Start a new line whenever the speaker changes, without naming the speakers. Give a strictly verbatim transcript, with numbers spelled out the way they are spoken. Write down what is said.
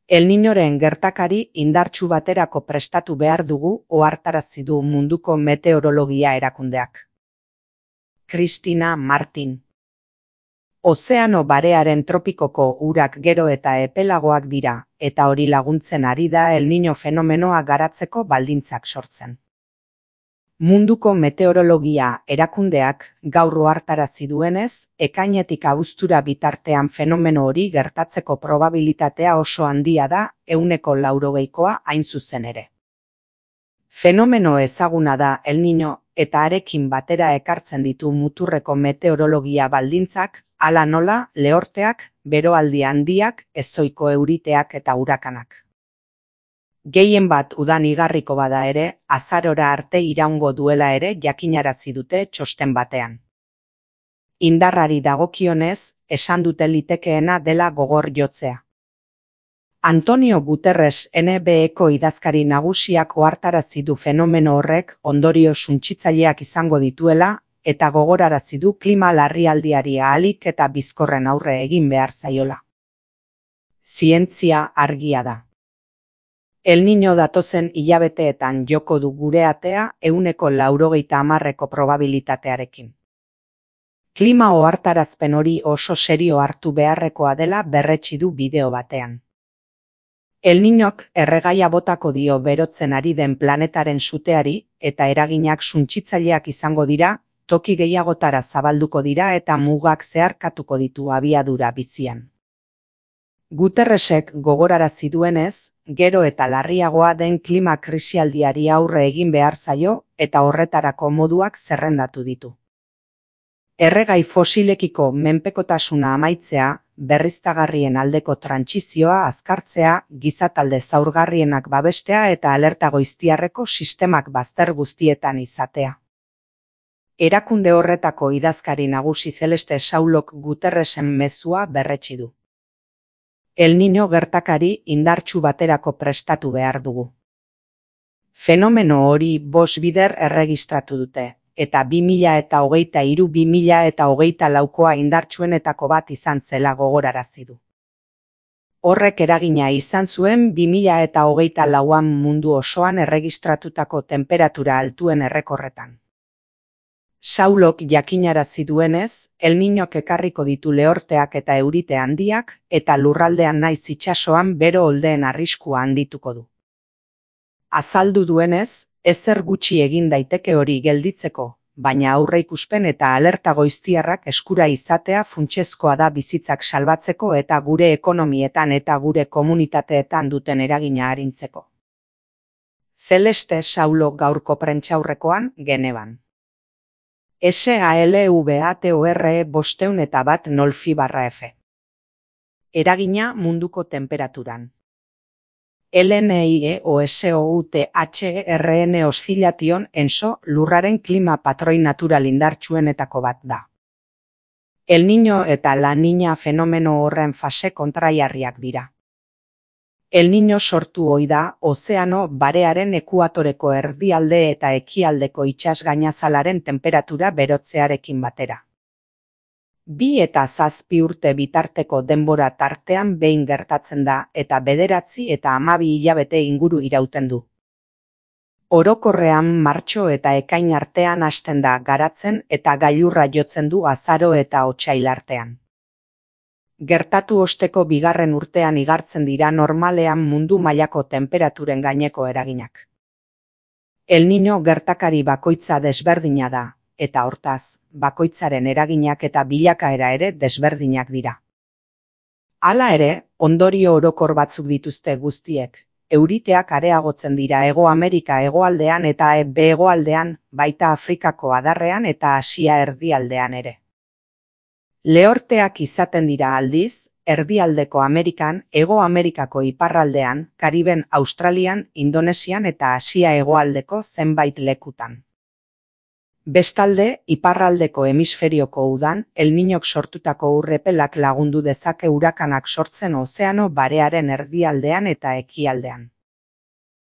El Niñoren gertakari indartsu baterako prestatu behar dugu ohartarazi du munduko meteorologia erakundeak. Cristina Martin. Ozeano barearen tropikoko urak gero eta epelagoak dira, eta hori laguntzen ari da El Niño fenomenoa garatzeko baldintzak sortzen. Munduko meteorologia erakundeak gaur ohartarazi duenez, ekainetik abuztura bitartean fenomeno hori gertatzeko probabilitatea oso handia da, ehuneko laurogeikoa hain zuzen ere. Fenomeno ezaguna da El Niño eta harekin batera ekartzen ditu muturreko meteorologia baldintzak, hala nola, lehorteak, beroaldi handiak, ezohiko euriteak eta urakanak. Gehien bat udan igarriko bada ere, azarora arte iraungo duela ere jakinarazi dute txosten batean. Indarrari dagokionez, esan dute litekeena dela gogor jotzea. Antonio Guterres N B Eko idazkari nagusiak ohartarazi du fenomeno horrek ondorio suntsitzaileak izango dituela, eta gogorarazi du klima larrialdiari ahalik eta bizkorren aurre egin behar zaiola. Zientzia argia da. El Niño datozen hilabeteetan joko du gure atea ehuneko laurogeita hamarreko probabilitatearekin. Klima ohartarazpen hori oso serio hartu beharrekoa dela berretsi du bideo batean. El Niñok erregaia botako dio berotzen ari den planetaren suteari, eta eraginak suntsitzaileak izango dira, toki gehiagotara zabalduko dira eta mugak zeharkatuko ditu abiadura bizian. Guterresek gogorarazi duenez, gero eta larriagoa den klima krisialdiari aurre egin behar zaio eta horretarako moduak zerrendatu ditu. Erregai fosilekiko menpekotasuna amaitzea, berriztagarrien aldeko trantsizioa azkartzea, gizatalde zaurgarrienak babestea eta alerta goiztiarreko sistemak bazter guztietan izatea. Erakunde horretako idazkari nagusi Celeste Saulok Guterresen mezua berretsi du. El Niño gertakari indartsu baterako prestatu behar dugu. Fenomeno hori bost bider erregistratu dute, eta bi mila eta hogeita hiru bi mila eta hogeita laukoa indartsuenetako bat izan zela gogorarazi du. Horrek eragina izan zuen bi mila eta hogeita lauan mundu osoan erregistratutako temperatura altuen errekorretan. Saulok jakinarazi duenez, El Niñok ekarriko ditu lehorteak eta eurite handiak, eta lurraldean naiz itsasoan bero oldeen arriskua handituko du. Azaldu duenez, ezer gutxi egin daiteke hori gelditzeko, baina aurreikuspen eta alerta goiztiarrak eskura izatea funtsezkoa da bizitzak salbatzeko eta gure ekonomietan eta gure komunitateetan duten eragina arintzeko. Celeste Saulok gaurko prentsaurrekoan, Genevan. S A L V A T O R E bosteun eta bat nolfi barra F. Eragina munduko temperaturan. L N I E O S O U T H E R N Oscillation enso lurraren klima patroi natural indartsuenetako bat da. El Niño eta La Niña fenomeno horren fase kontraiarriak dira. El Niño sortu ohi da ozeano barearen ekuatoreko erdialde eta ekialdeko itsas gainazalaren temperatura berotzearekin batera. Bi eta zazpi urte bitarteko denbora tartean behin gertatzen da eta bederatzi eta hamabi hilabete inguru irauten du. Orokorrean martxo eta ekain artean hasten da garatzen eta gailurra jotzen du azaro eta otsail artean. Gertatu osteko bigarren urtean igartzen dira normalean mundu mailako temperaturen gaineko eraginak. El Niño gertakari bakoitza desberdina da, eta hortaz, bakoitzaren eraginak eta bilakaera ere desberdinak dira. Hala ere, ondorio orokor batzuk dituzte guztiek, euriteak areagotzen dira Hego Amerika hegoaldean eta hego-hegoaldean, baita Afrikako adarrean eta Asia erdialdean ere. Lehorteak izaten dira aldiz, erdialdeko Amerikan, Hego Amerikako iparraldean, Kariben, Australian, Indonesian eta Asia hegoaldeko zenbait lekutan. Bestalde, iparraldeko hemisferioko udan, El Niñok sortutako urrepelak lagundu dezake urakanak sortzen ozeano barearen erdialdean eta ekialdean.